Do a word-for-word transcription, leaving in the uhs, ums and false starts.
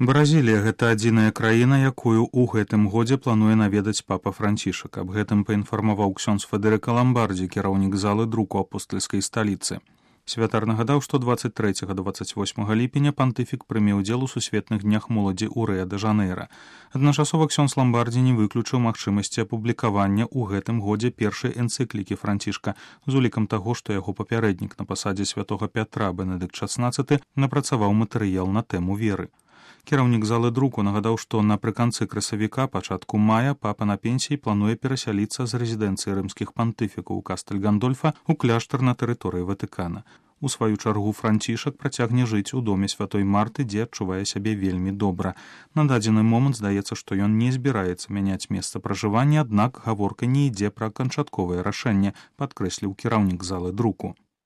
Бразілія гэта адзіная краіна, якую ў гэтым годзе плануе наведаць папа Францішак. Аб гэтым паінфармаваў ксёндз Федэрыка Ламбардзі, кіраўнік залы друку апостальскай сталіцы. Святар нагадаў, што дваццаць трэцяга да дваццаць восьмага ліпеня пантыфік прыме ўдзел у сусветных днях моладзі ў Рыа-дэ-Жанэйра. Адначасова ксёндз Ламбардзі не выключыў магчымасці апублікавання ў гэтым годзе першай энцыклікі Францішка з улікам таго, што яго папярэднік на пасадзе святога Пятра Бенедыкт шаснаццаты напрацаваў матэрыял на тэму веры. Кіраўнік залы друку нагадаў, што напрыканцы красавіка, пачатку мая, папа на пенсіі плануе перасяліцца з рэзідэнцыі рымскіх пантыфікаў у Кастэль-Гандольфа ў кляштар на тэрыторыі Ватыкана. У сваю чаргу Францішак працягне жыць у доме святой Марты, дзе адчувае сябе вельмі добра. На дадзены момант здаецца, што ён не збіраецца мяняць месца пражывання, аднак гаворка не ідзе пра канчатковае рашэнне, падкрэсліў кіраўнік залы друку.